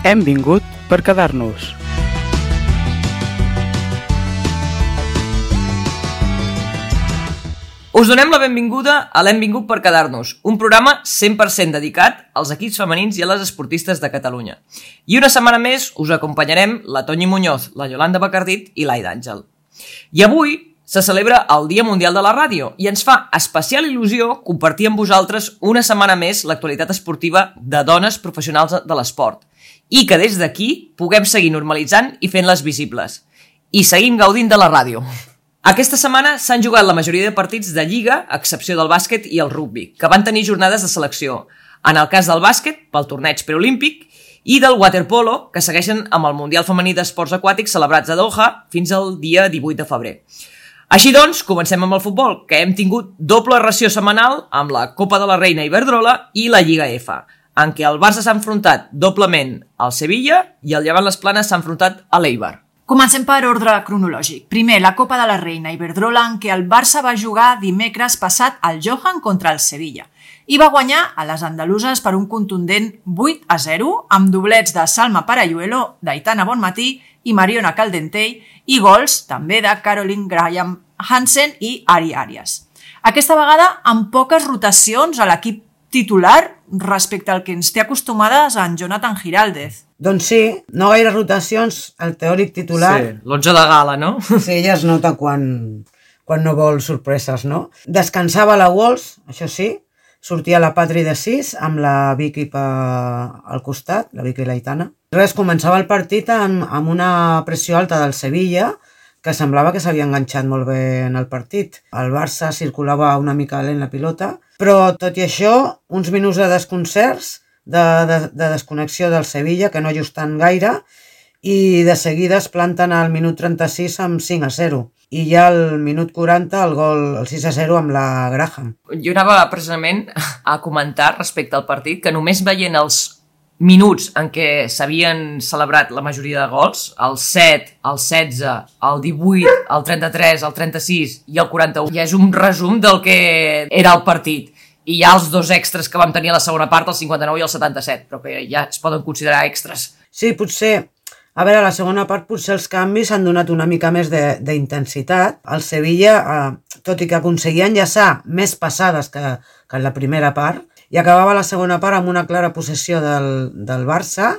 Hem vingut per quedar-nos. Us donem la benvinguda a l'Hem vingut per quedar-nos, un programa 100% dedicat als equips femenins i a les esportistes de Catalunya. I una setmana més us acompanyarem la Toñi Muñoz, la Yolanda Bacardit i l'Aida Àngel. I avui se celebra el Dia Mundial de la Ràdio i ens fa especial il·lusió compartir amb vosaltres una setmana més l'actualitat esportiva de dones professionals de l'esport i que des d'aquí puguem seguir normalitzant i fent-les visibles. I seguim gaudint de la ràdio. Aquesta setmana s'han jugat la majoria de partits de Lliga, a excepció del bàsquet i el rugbi, que van tenir jornades de selecció. En el cas del bàsquet, pel torneig preolímpic, i del waterpolo, que segueixen amb el Mundial Femení d'Esports Aquàtics celebrats a Doha fins al dia 18 de febrer. Així doncs, comencem amb el futbol, que hem tingut doble ració setmanal amb la Copa de la Reina Iberdrola i la Lliga F, en què el Barça s'ha enfrontat doblement al Sevilla i el Llevant Les Planes s'ha enfrontat a l'Eibar. Comencem per ordre cronològic. Primer, la Copa de la Reina Iberdrola, en què el Barça va jugar dimecres passat al Johan contra el Sevilla i va guanyar a les andaluses per un contundent 8-0 amb doblets de Salma Parayuelo, d'Aitana Bonmatí i Mariona Caldentell i gols també de Caroline Graham Hansen i Ari Arias. Aquesta vegada amb poques rotacions a l'equip titular respecte al que ens té acostumades en Jonathan Giraldez. Doncs sí, no gaire rotacions, el teòric titular... Sí, l'11 de gala, no? Sí, ja es nota quan no vol sorpreses, no? Descansava la Wolves, això sí, sortia la Patri de 6 amb la Vicky al costat, la Vicky Laitana. Res, començava el partit amb una pressió alta del Sevilla, que semblava que s'havia enganxat molt bé en el partit. El Barça circulava una mica lent la pilota, però tot i això, uns minuts de desconcerts, de desconnexió del Sevilla, que no ajustant gaire, i de seguida es planten al minut 36 amb 5-0. I ja al minut 40 el gol, el 6-0 amb la Graham. Jo anava precisament a comentar respecte al partit que només veient els minuts en què s'havien celebrat la majoria de gols, el 7, el 16, el 18, el 33, el 36 i el 41, ja és un resum del que era el partit. I hi ha els dos extras que vam tenir a la segona part, el 59 i el 77, però que ja es poden considerar extras. Sí, potser, a veure, a la segona part potser els canvis han donat una mica més d'intensitat. El Sevilla, tot i que aconseguia enllaçar més passades que en la primera part, i acabava la segona part amb una clara possessió del Barça,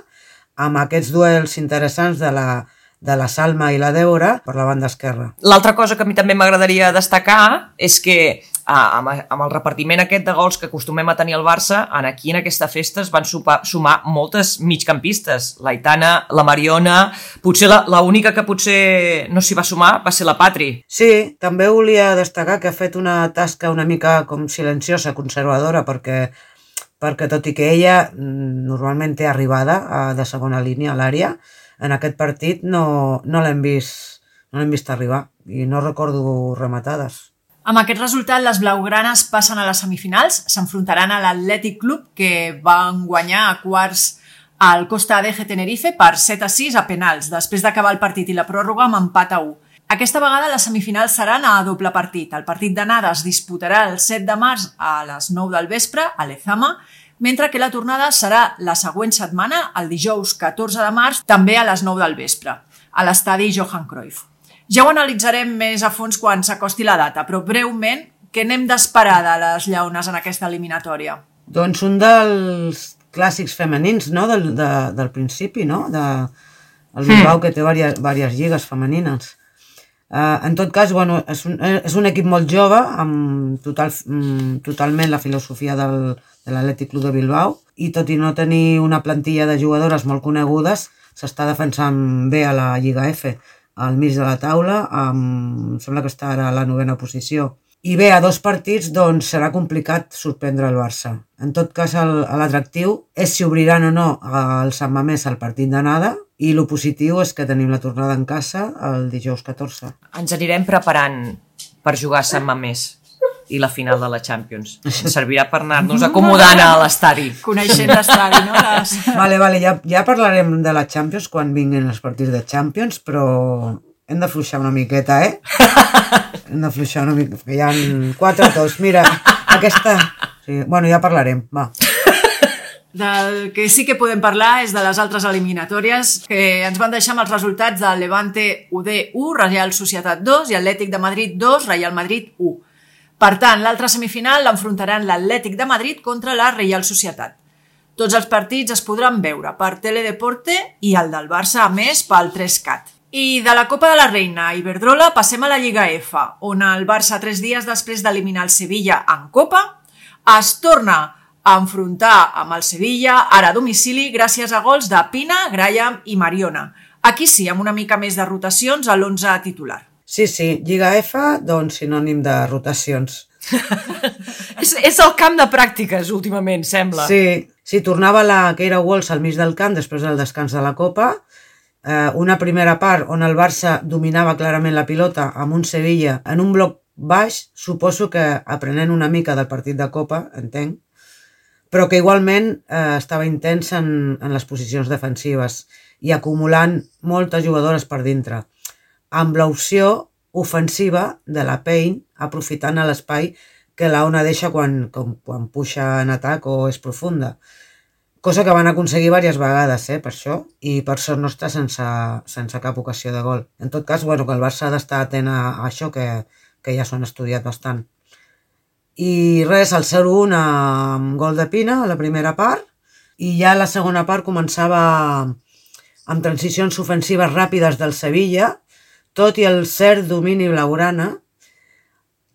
amb aquests duels interessants de la Salma i la Débora per la banda esquerra. L'altra cosa que a mi també m'agradaria destacar és que amb el repartiment aquest de gols que acostumem a tenir al Barça, aquí en aquesta festa es van sumar moltes migcampistes. L'Aitana, la Mariona, potser l'única que potser no s'hi va sumar va ser la Patri. Sí, també volia destacar que ha fet una tasca una mica com silenciosa, conservadora, perquè tot i que ella normalment té arribada de segona línia a l'àrea, en aquest partit no l'hem vist arribar i no recordo rematades. Amb aquest resultat, les blaugranes passen a les semifinals, s'enfrontaran a l'Atlètic Club, que van guanyar a quarts al Costa Adeje Tenerife per 7-6 a penals, després d'acabar el partit i la pròrroga amb empat a 1. Aquesta vegada les semifinals seran a doble partit. El partit d'anada es disputarà el 7 de març a les 9 del vespre a Lezama, mentre que la tornada serà la següent setmana, el dijous 14 de març, també a les 9 del vespre, a l'estadi Johan Cruyff. Ja ho analitzarem més a fons quan s'acosti la data, però breument, què n'hem d'esperar de les lleones en aquesta eliminatòria? Doncs un dels clàssics femenins, no?, del principi, no?, el Bilbao, que té diverses lligues femenines. En tot cas, bueno, és un equip molt jove, amb totalment la filosofia de l'Atlètic Club de Bilbao, i tot i no tenir una plantilla de jugadores molt conegudes, s'està defensant bé a la Lliga F, al mig de la taula, em sembla que està ara a la 9ª posició. I bé, a 2 partits doncs serà complicat sorprendre el Barça. En tot cas, l'atractiu és si obriran o no el Sant Mamés al partit d'anada, i el positiu és que tenim la tornada en casa el dijous 14. Ens anirem preparant per jugar a Sant Mamés i la final de la Champions. Ens servirà per anar-nos acomodant a l'estadi. Coneixent l'estadi, no? Vale, ja parlarem de la Champions quan vinguin els partits de Champions, però hem d'afluixar una miqueta, Hem d'afluixar una miqueta, que hi ha 4-2. Mira, aquesta... Sí, bueno, ja parlarem, va. Del que sí que podem parlar és de les altres eliminatòries que ens van deixar amb els resultats del Levante UD 1, Real Societat 2 i Atlètic de Madrid 2, Real Madrid 1. Per tant, l'altra semifinal l'enfrontaran l'Atlètic de Madrid contra la Real Societat. Tots els partits es podran veure per Teledeporte i el del Barça, a més, pel 3Cat. I de la Copa de la Reina a Iberdrola passem a la Lliga F, on el Barça, 3 dies després d'eliminar el Sevilla en Copa, es torna a enfrontar amb el Sevilla, ara a domicili, gràcies a gols de Pina, Graham i Mariona. Aquí sí, amb una mica més de rotacions a l'11 titular. Sí, Lliga F, doncs sinònim de rotacions. És el camp de pràctiques, últimament, sembla. Sí, tornava la Keira Walsh al mig del camp després del descans de la Copa. Una primera part on el Barça dominava clarament la pilota amb un Sevilla en un bloc baix, suposo que aprenent una mica del partit de Copa, entenc, però que igualment estava intens en les posicions defensives i acumulant moltes jugadores per dintre, amb l'opció ofensiva de la Payne aprofitant l'espai que la Ona deixa quan puja en atac o és profunda. Cosa que van aconseguir diverses vegades, per això, i per sort nostra sense cap ocasió de gol. En tot cas, que el Barça ha d'estar atent a això, que ja s'ho han estudiat bastant. I res, el 0-1 amb gol de Pina a la primera part, i ja la segona part començava amb transicions ofensives ràpides del Sevilla, tot i el cert domini blaugrana,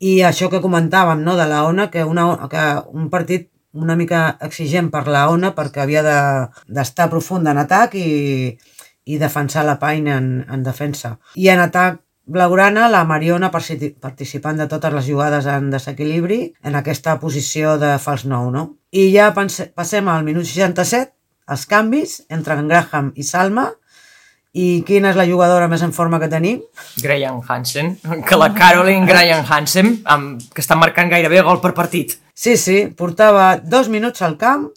i això que comentàvem, no, de la Ona, que un partit una mica exigent per la Ona perquè havia d'estar profunda en atac i defensar la Payne en defensa. I en atac blaugrana, la Mariona participant de totes les jugades en desequilibri en aquesta posició de fals 9, no? I ja passem al minut 67, els canvis entre en Graham i Salma. I quina és la jugadora més en forma que tenim? Graham Hansen, que la Caroline Graham Hansen, que està marcant gairebé gol per partit. Sí, portava 2 minuts al camp,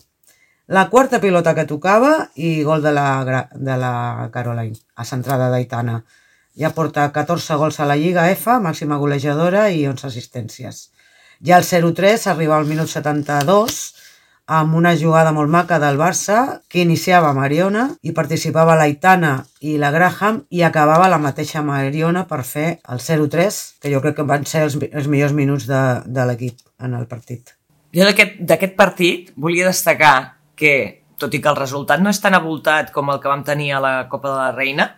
la quarta pilota que tocava i gol de la Caroline, a centrada d'Aitana. Ja porta 14 gols a la Lliga F, màxima golejadora i 11 assistències. Ja el 0-3 arriba al minut 72, amb una jugada molt maca del Barça, que iniciava Mariona i participava l'Aitana i la Graham i acabava la mateixa Mariona per fer el 0-3, que jo crec que van ser els millors minuts de l'equip en el partit. Jo d'aquest partit volia destacar que, tot i que el resultat no és tan avoltat com el que vam tenir a la Copa de la Reina,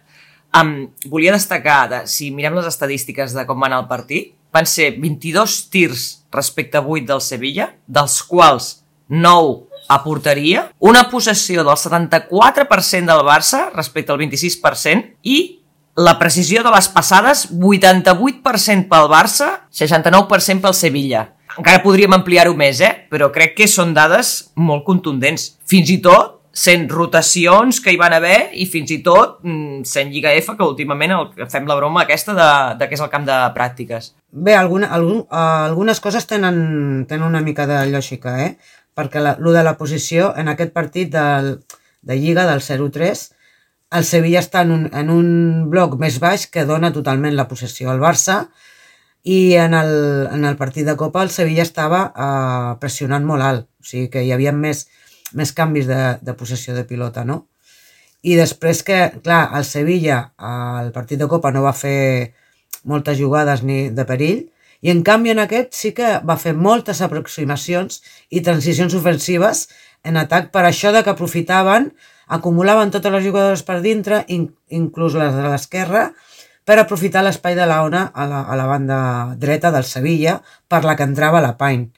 volia destacar, si mirem les estadístiques de com va anar el partit, van ser 22 tirs respecte a 8 del Sevilla, dels quals 9 a porteria, una possessió del 74% del Barça respecte al 26% i la precisió de les passades 88% pel Barça, 69% pel Sevilla. Encara podríem ampliar-ho més, però crec que són dades molt contundents. Fins i tot sent rotacions que hi van haver i fins i tot sent Lliga F, que últimament fem la broma aquesta de que és el camp de pràctiques. Bé, algunes coses tenen una mica de lògica, perquè lo de la posició en aquest partit de Lliga del 0-3, el Sevilla està en un bloc més baix que dona totalment la possessió al Barça i en el partit de Copa el Sevilla estava pressionant molt alt, o sigui que hi havia més canvis de possessió de pilota, no? I després que, clar, el Sevilla al partit de Copa no va fer moltes jugades ni de perill, i en canvi en aquest sí que va fer moltes aproximacions i transicions ofensives en atac per això de que aprofitaven, acumulaven totes les jugadores per dintre, inclús les de l'esquerra, per aprofitar l'espai de la Ona a la banda dreta del Sevilla per la que entrava la Payne.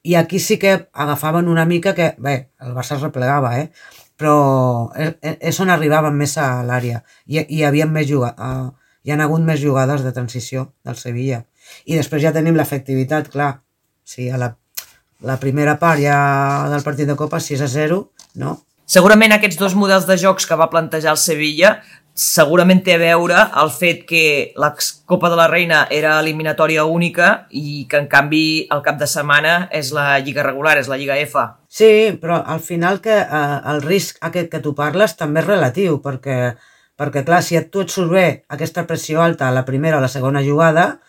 I aquí sí que agafaven una mica que, bé, el Barça es replegava, però és on arribaven més a l'àrea. Hi ha hagut més jugades de transició del Sevilla. I després ja tenim l'efectivitat, clar. Sí, a la primera part ja del partit de Copa 6-0, no? Segurament aquests dos models de jocs que va plantejar el Sevilla segurament té a veure el fet que la Copa de la Reina era eliminatòria única i que en canvi el cap de setmana és la Lliga regular, és la Lliga F. Sí, però al final que el risc aquest que tu parles també és relatiu, perquè clar, si tu et surt bé aquesta pressió alta a la primera o la segona jugada,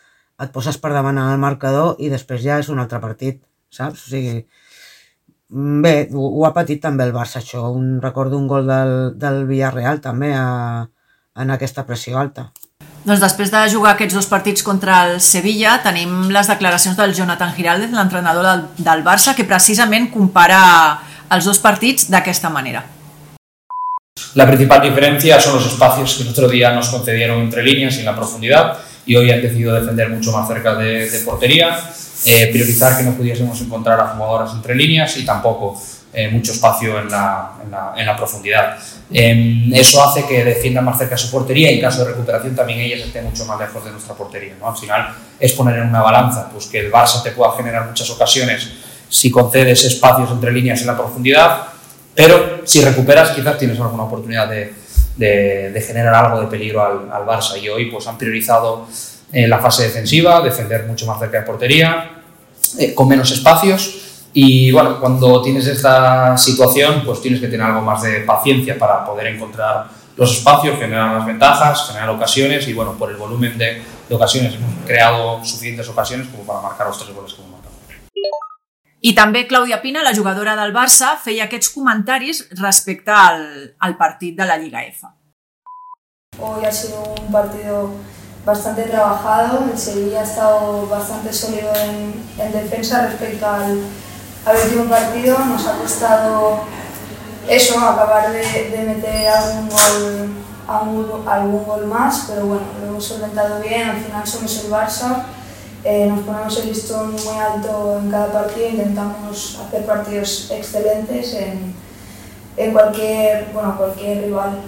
et poses per davant el marcador i després ja és un altre partit, saps? O sigui, Bé, ho ha patit també el Barça, això. Recordo un gol del Villarreal també en aquesta pressió alta. Doncs després de jugar aquests 2 partits contra el Sevilla tenim les declaracions del Jonathan Giraldez, l'entrenador del Barça, que precisament compara els 2 partits d'aquesta manera. La principal diferencia son los espacios que el otro día nos concedieron entre líneas y en la profundidad, y hoy han decidido defender mucho más cerca de portería, priorizar que no pudiésemos encontrar a jugadoras entre líneas y tampoco mucho espacio en la profundidad. Eso hace que defiendan más cerca su portería y en caso de recuperación también ellas estén mucho más lejos de nuestra portería, ¿no? Al final es poner en una balanza pues que el Barça te pueda generar muchas ocasiones si concedes espacios entre líneas en la profundidad, pero si recuperas quizás tienes alguna oportunidad de generar algo de peligro al Barça, y hoy pues han priorizado la fase defensiva, defender mucho más cerca de portería, con menos espacios. Y bueno, cuando tienes esta situación, pues tienes que tener algo más de paciencia para poder encontrar los espacios, generar las ventajas, generar ocasiones, y bueno, por el volumen de ocasiones hemos creado suficientes ocasiones como para marcar los 3 goles que hemos marcado. I també Clàudia Pina, la jugadora del Barça, feia aquests comentaris respecte al partit de la Lliga F. Hoy ha sido un partido bastante trabajado, el Sevilla ha estado bastante sólido en defensa respecto al último partido. Nos ha costado eso, acabar de meter algún gol más, pero bueno, lo hemos solventado bien. Al final somos el Barça, nos ponemos el listón muy alto en cada partido, intentamos hacer partidos excelentes en cualquier rival.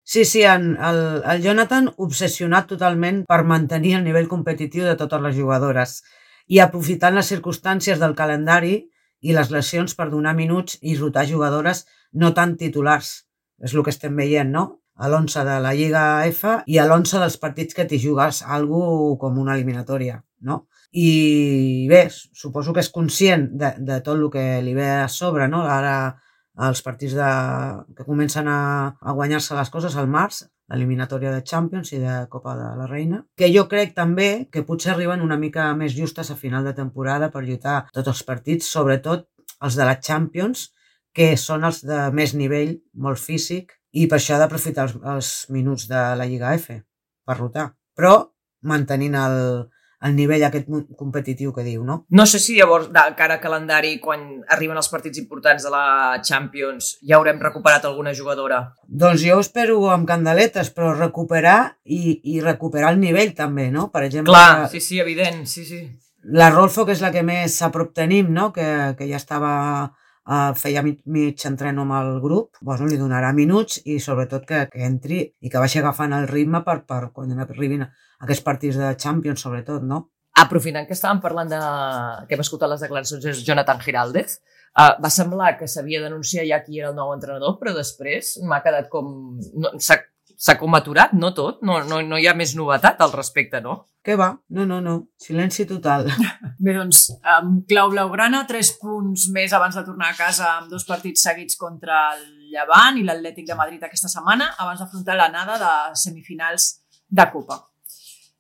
Sí, el Jonathan obsessionat totalment per mantenir el nivell competitiu de totes les jugadores i aprofitant les circumstàncies del calendari i les lesions per donar minuts i rotar jugadores no tan titulars. És el que estem veient, no? A l'11 de la Lliga F i a l'11 dels partits que t'hi jugues algo com una eliminatòria, no? I bé, suposo que és conscient de tot el que li ve a sobre, no? Ara els partits que comencen a guanyar-se les coses al març, l'eliminatòria de Champions i de Copa de la Reina, que jo crec també que potser arriben una mica més justes a final de temporada per lluitar tots els partits, sobretot els de la Champions, que són els de més nivell, molt físic, i per això ha d'aprofitar els minuts de la Lliga F per rotar, però mantenint el nivell aquest competitiu que diu, no? No sé si llavors, de cara a calendari, quan arriben els partits importants de la Champions, ja haurem recuperat alguna jugadora? Doncs jo espero amb candeletes, però recuperar i recuperar el nivell també, no? Per exemple... Clar, sí, evident, sí. La Rolfo, que és la que més a prop tenim, no? Que ja estava... feia mig entreno amb el grup, doncs li donarà minuts i sobretot que entri i que vagi agafant el ritme per quan arribin aquests partits de Champions, sobretot, no? Aprofitant que estàvem parlant que hem escoltat les declaracions de Jonathan Giraldez, va semblar que s'havia d'anunciar ja qui era el nou entrenador, però després m'ha quedat com... S'ha com aturat, no tot? No hi ha més novetat al respecte, no? Què va? No. Silenci total. Bé, doncs, amb clau blaugrana, 3 punts més abans de tornar a casa amb 2 partits seguits contra el Llevant i l'Atlètic de Madrid aquesta setmana, abans d'afrontar l'anada de semifinals de Copa.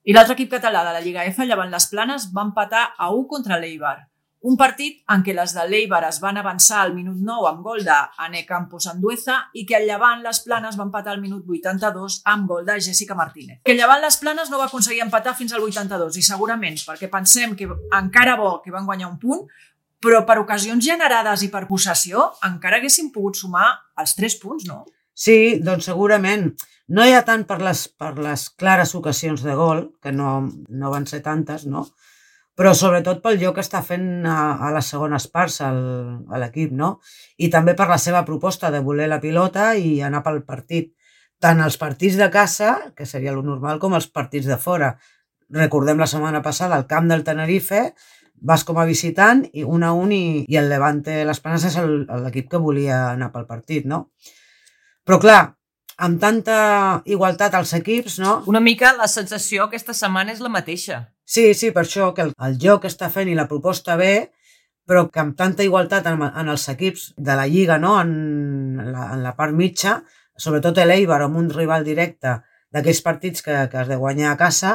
I l'altre equip català de la Lliga F, Llevant Les Planes, va empatar a 1 contra l'Eibar. Un partit en què les de l'Eibar es van avançar al minut 9 amb gol d'Ane Campos Andueza i que el Llevant Les Planes va empatar al minut 82 amb gol de Jessica Martínez. Que el Llevant Les Planes no va aconseguir empatar fins al 82 i segurament perquè pensem que encara bo que van guanyar un punt, però per ocasions generades i per possessió encara haguessin pogut sumar els 3 punts, no? Sí, doncs segurament. No hi ha tant per les clares ocasions de gol, que no van ser tantes, no? Però sobretot pel joc que està fent a les segones parts a l'equip, no? I també per la seva proposta de voler la pilota i anar pel partit. Tant els partits de casa, que seria lo normal, com els partits de fora. Recordem la setmana passada al camp del Tenerife, vas com a visitant i 1-1 i el Levante Les Planes és l'equip que volia anar pel partit, no? Però clar, amb tanta igualtat als equips, no? Una mica la sensació aquesta setmana és la mateixa. Sí, per això que el joc està fent i la proposta bé, però que amb tanta igualtat en els equips de la Lliga, no? En la part mitja, sobretot l'Eibar amb un rival directe d'aquells partits que has de guanyar a casa,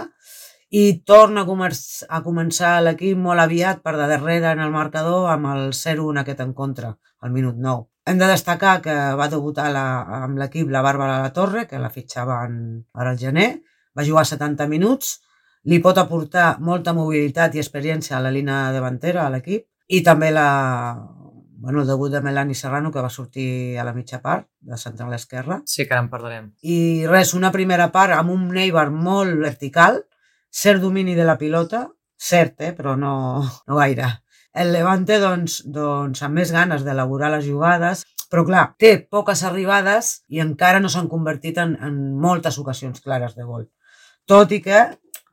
i torna a començar l'equip molt aviat per de darrere en el marcador amb el 0-1 aquest en contra, al minut 9. Hem de destacar que va debutar amb l'equip la Bàrbara Latorre, que la fitxaven ara al gener, va jugar 70 minuts, li pot aportar molta mobilitat i experiència a la línia davantera a l'equip, i també el debut de Melanie Serrano, que va sortir a la mitja part, de central esquerra. Sí, que ara en parlarem. I res, una primera part amb un Neibar molt vertical, cert domini de la pilota, cert, però no gaire. El Levante, doncs, amb més ganes d'elaborar les jugades, però clar, té poques arribades i encara no s'han convertit en moltes ocasions clares de gol. Tot i que,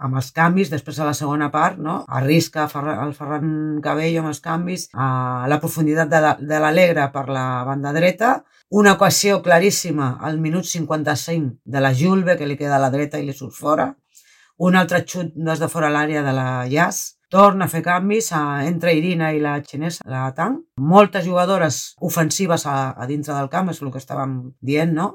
amb els canvis, després a la segona part, no? Arrisca el Ferran Cabello amb els canvis, a la profunditat de l'Alegre per la banda dreta, una ocasió claríssima al minut 55 de la Julve, que li queda a la dreta i li surt fora, un altre xut des de fora l'àrea de la Jas, torna a fer canvis entre Irina i la xinesa, la Tang. Moltes jugadores ofensives a dintre del camp, és el que estàvem dient, no?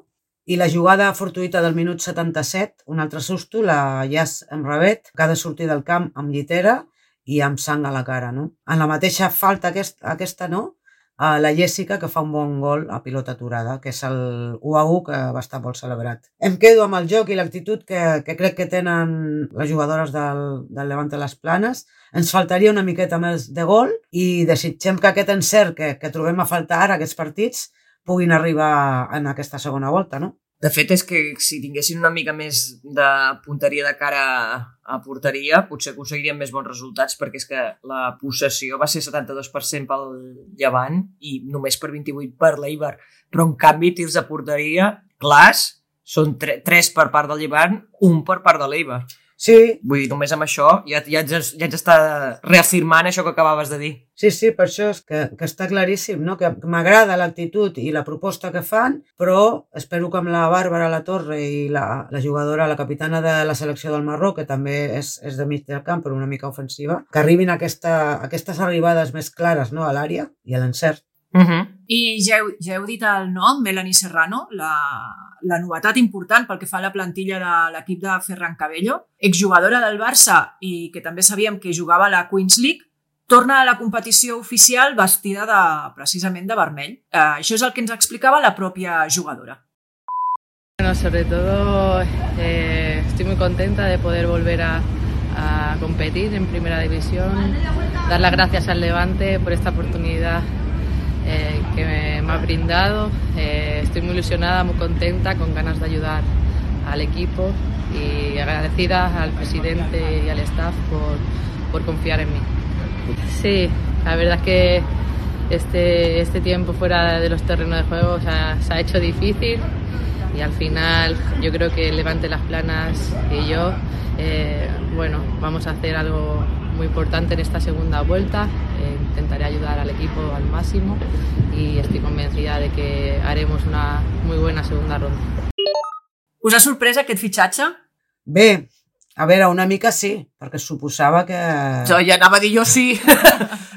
I la jugada fortuïta del minut 77, un altre susto, la Jas Emravet, que ha de sortir del camp amb llitera i amb sang a la cara, no? En la mateixa falta aquesta, no? La Jessica, que fa un bon gol a pilota aturada, que és el 1-1 que va estar molt celebrat. Em quedo amb el joc i l'actitud que crec que tenen les jugadores del Levante les Planes. Ens faltaria una miqueta més de gol i desitgem que aquest encert que trobem a faltar ara, aquests partits, puguin arribar en aquesta segona volta, no? De fet, és que si tinguessin una mica més de punteria de cara a porteria, potser aconseguirien més bons resultats, perquè és que la possessió va ser 72% pel Llevant i només per 28% per l'Eibar. Però, en canvi, tirs de porteria clars són 3 per part del Llevant, 1 per part de l'Eibar. Sí. Vull dir, només amb això ja ens està reafirmant això que acabaves de dir. Sí, per això és que està claríssim, no? Que m'agrada l'actitud i la proposta que fan, però espero que amb la Bàrbara Latorre i la jugadora, la capitana de la selecció del Marroc, que també és de mig del camp, però una mica ofensiva, que arribin aquestes arribades més clares, no? A l'àrea i a l'encert. I ja heu dit el nom, Melanie Serrano, la novetat important pel que fa a la plantilla de l'equip de Ferran Cabello, exjugadora del Barça i que també sabíem que jugava a la Queens League, torna a la competició oficial vestida precisament de vermell. Això és el que ens explicava la pròpia jugadora. Bueno, sobre todo estoy muy contenta de poder volver a competir en Primera División, dar las gracias al Levante por esta oportunidad que me ha brindado. Estoy muy ilusionada, muy contenta, con ganas de ayudar al equipo y agradecida al presidente y al staff por confiar en mí. Sí, la verdad es que este tiempo fuera de los terrenos de juego se ha hecho difícil y al final yo creo que Levante Las Planas y yo vamos a hacer algo muy importante en esta segunda vuelta. Intentaré ayudar al equipo al máximo y estoy convencida de que haremos una muy buena segunda ronda. Us ha sorprès aquest fitxatge? Bé, a veure, una mica sí, perquè suposava que... Ja anava a dir jo sí,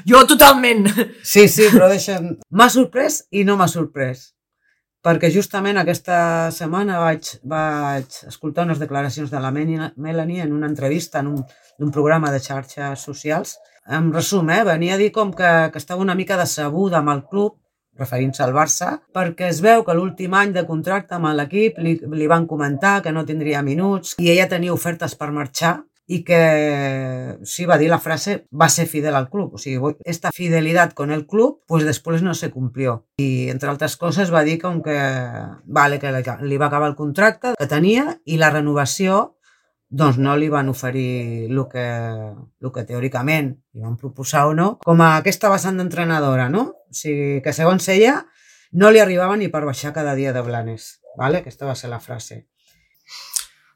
jo totalment. Sí, però deixa'm... M'ha sorprès i no m'ha sorprès, perquè justament aquesta setmana vaig escoltar unes declaracions de la Melanie en una entrevista en un programa de xarxes socials. En resum, venia a dir com que estava una mica decebuda amb el club, referint-se al Barça, perquè es veu que l'últim any de contracte amb l'equip li van comentar que no tindria minuts i ella tenia ofertes per marxar i que, sí, va dir la frase, va ser fidel al club. O sigui, esta fidelidad con el club, pues después no se cumplió. I, entre altres coses, va dir com que li va acabar el contracte que tenia i la renovació doncs no li van oferir el que teòricament li van proposar o no, com a aquesta vessant d'entrenadora, no? O sigui, que segons ella no li arribava ni per baixar cada dia de Blanes, ¿vale? Aquesta va ser la frase.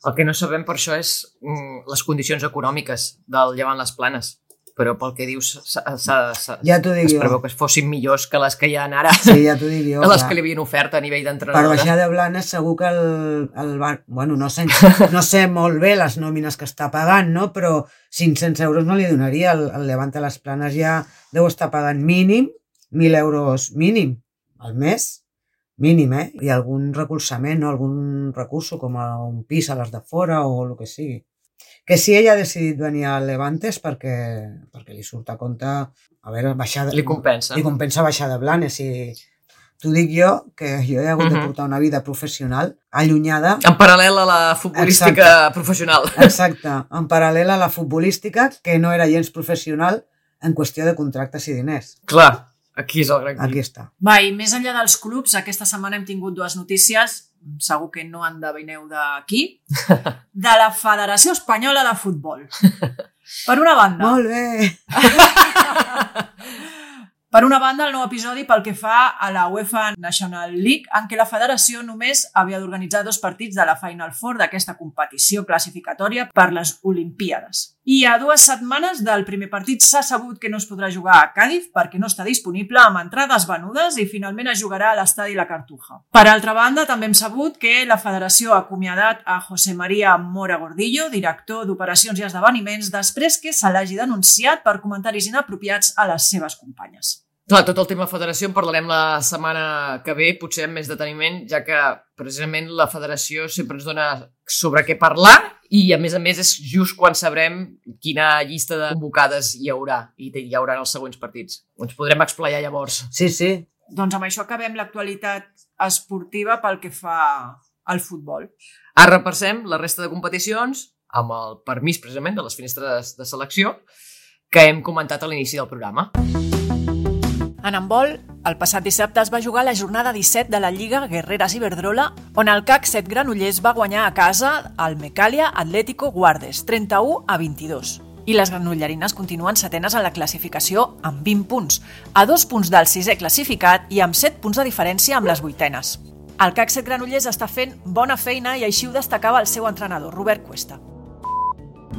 El que no sabem per això és les condicions econòmiques del Llevant Les Planes, però pel que dius ja t'ho dic es jo. preveu que fossin millors que les que hi ha ara, sí, ja t'ho dic jo, que les que li havien ofert a nivell d'entrenadora. Per baixar de Blanes segur que el bar... Bueno, no sé molt bé les nòmines que està pagant, no? Però 500 euros no li donaria. El Levante Les Planes ja deu estar pagant mínim 1.000 euros mínim al mes. Mínim, I algun recolzament, no? Algun recurso com un pis a les de fora o el que sigui. Que si ella ha decidit venir al Levante és perquè li surt a compte, a veure, baixar... Li compensa. Li compensa baixar de Blanes i t'ho dic jo, que jo he hagut de portar una vida professional allunyada... En paral·lel a la futbolística professional. Exacte, en paral·lel a la futbolística, que no era gens professional en qüestió de contractes i diners. Clar, aquí és el gran Aquí està. Va, i més enllà dels clubs, aquesta setmana hem tingut dues notícies, segur que no endevineu de qui, de la Federació Espanyola de Futbol. Per una banda... Molt bé! Per una banda, el nou episodi pel que fa a la UEFA National League, en què la federació només havia d'organitzar 2 partits de la Final Four d'aquesta competició classificatòria per les Olimpíades. I a 2 setmanes del primer partit s'ha sabut que no es podrà jugar a Càdiz perquè no està disponible, amb entrades venudes, i finalment es jugarà a l'estadi La Cartuja. Per altra banda, també hem sabut que la federació ha acomiadat a José María Mora Gordillo, director d'Operacions i Esdeveniments, després que se l'hagi denunciat per comentaris inapropiats a les seves companyes. Clar, tot el tema federació en parlarem la setmana que ve, potser amb més deteniment, ja que precisament la federació sempre ens dona sobre què parlar i a més és just quan sabrem quina llista de convocades hi haurà i hi haurà els següents partits. Ens podrem explaiar llavors. Sí, sí. Doncs amb això acabem l'actualitat esportiva pel que fa al futbol. Ara repassem la resta de competicions amb el permís precisament de les finestres de selecció que hem comentat a l'inici del programa. En handbol, el passat dissabte es va jugar la jornada 17 de la Lliga Guerreras Iberdrola, on el CAC 7 Granollers va guanyar a casa el Mecalia Atlético Guardes, 31-22. I les granollerines continuen setenes en la classificació amb 20 punts, a 2 punts del 6è classificat i amb 7 punts de diferència amb les 8enes. El CAC 7 Granollers està fent bona feina i així ho destacava el seu entrenador, Robert Cuesta.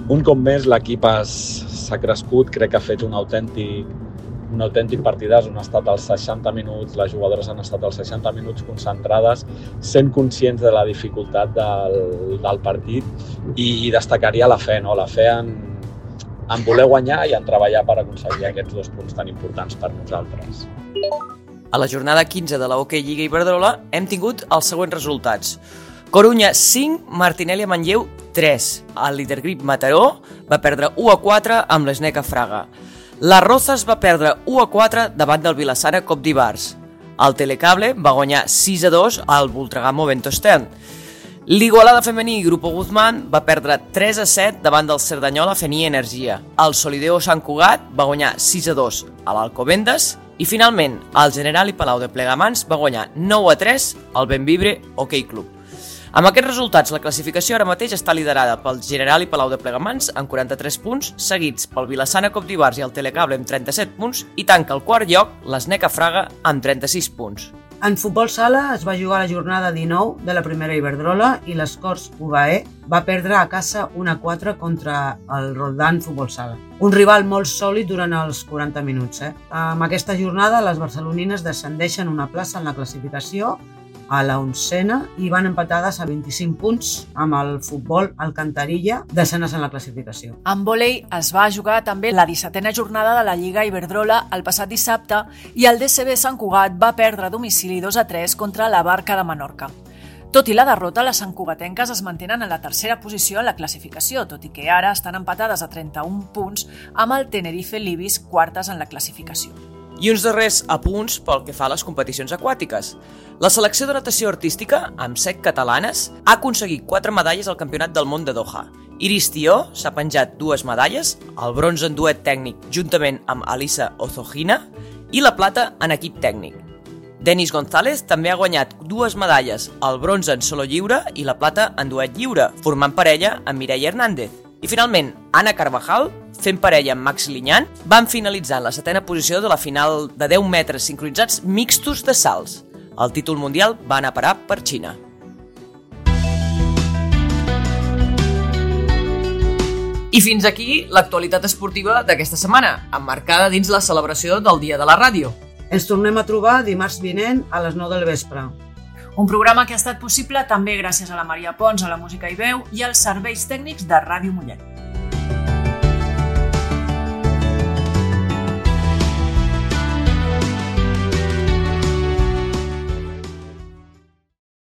Un cop més l'equip s'ha crescut, crec que ha fet un autèntic partidàs on ha estat als 60 minuts, les jugadores han estat als 60 minuts concentrades, sent conscients de la dificultat del partit i destacaria la fe, no? La fe en voler guanyar i en treballar per aconseguir aquests 2 punts tan importants per nosaltres. A la jornada 15 de la Hockey Lliga Iberdrola hem tingut els següents resultats. Corunya 5, Martinelli a Manlleu 3. El líder Grip Mataró va perdre 1-4 amb l'Sneca Fraga. La Rozas va perdre 1-4 davant del Vilassara Cop d'Ibars. El Telecable va guanyar 6-2 al Voltregamo Ventostern. L'Igualada femení Grupo Guzmán va perdre 3-7 davant del Cerdanyola Fení Energia. El Solideo Sant Cugat va guanyar 6-2 a l'Alcobendas i finalment el Generali Palau de Plegamans va guanyar 9-3 al Benvibre Hockey Club. Amb aquests resultats, la classificació ara mateix està liderada pel Generali Palau de Plegamans amb 43 punts, seguits pel Vilassana Cop d'Ibars i el Telecable amb 37 punts i tanca el quart lloc l'Sneca Fraga amb 36 punts. En futbol sala es va jugar la jornada 19 de la primera Iberdrola i l'Escorts UAE va perdre a casa 1-4 contra el Roldán Futbol Sala. Un rival molt sòlid durant els 40 minuts. Amb aquesta jornada les barcelonines descendeixen una plaça en la classificació a la 11ª i van empatades a 25 punts amb el futbol Alcantarilla, descenes en la classificació. En vòlei es va jugar també la 17a jornada de la Lliga Iberdrola el passat dissabte i el DCB Sant Cugat va perdre a domicili 2-3 contra la Barca de Menorca. Tot i la derrota, les santcugatenques es mantenen en la 3a posició en la classificació, tot i que ara estan empatades a 31 punts amb el Tenerife Libis quartes en la classificació. I uns darrers apunts pel que fa a les competicions aquàtiques. La selecció de natació artística, amb 7 catalanes, ha aconseguit 4 medalles al Campionat del Món de Doha. Iris Tió s'ha penjat 2 medalles, el bronze en duet tècnic juntament amb Alisa Ozogina i la plata en equip tècnic. Denis González també ha guanyat 2 medalles, el bronze en solo lliure i la plata en duet lliure, formant parella amb Mireia Hernández. I finalment, Anna Carvajal, fent parella amb Max Liñán, van finalitzar en la 7a posició de la final de 10 metres sincronitzats mixtos de salts. El títol mundial va anar a parar per Xina. I fins aquí l'actualitat esportiva d'aquesta setmana, emmarcada dins la celebració del Dia de la Ràdio. Ens tornem a trobar dimarts vinent a les 9 del vespre. Un programa que ha estat possible també gràcies a la Maria Pons, a la música i veu i als serveis tècnics de Ràdio Mollet.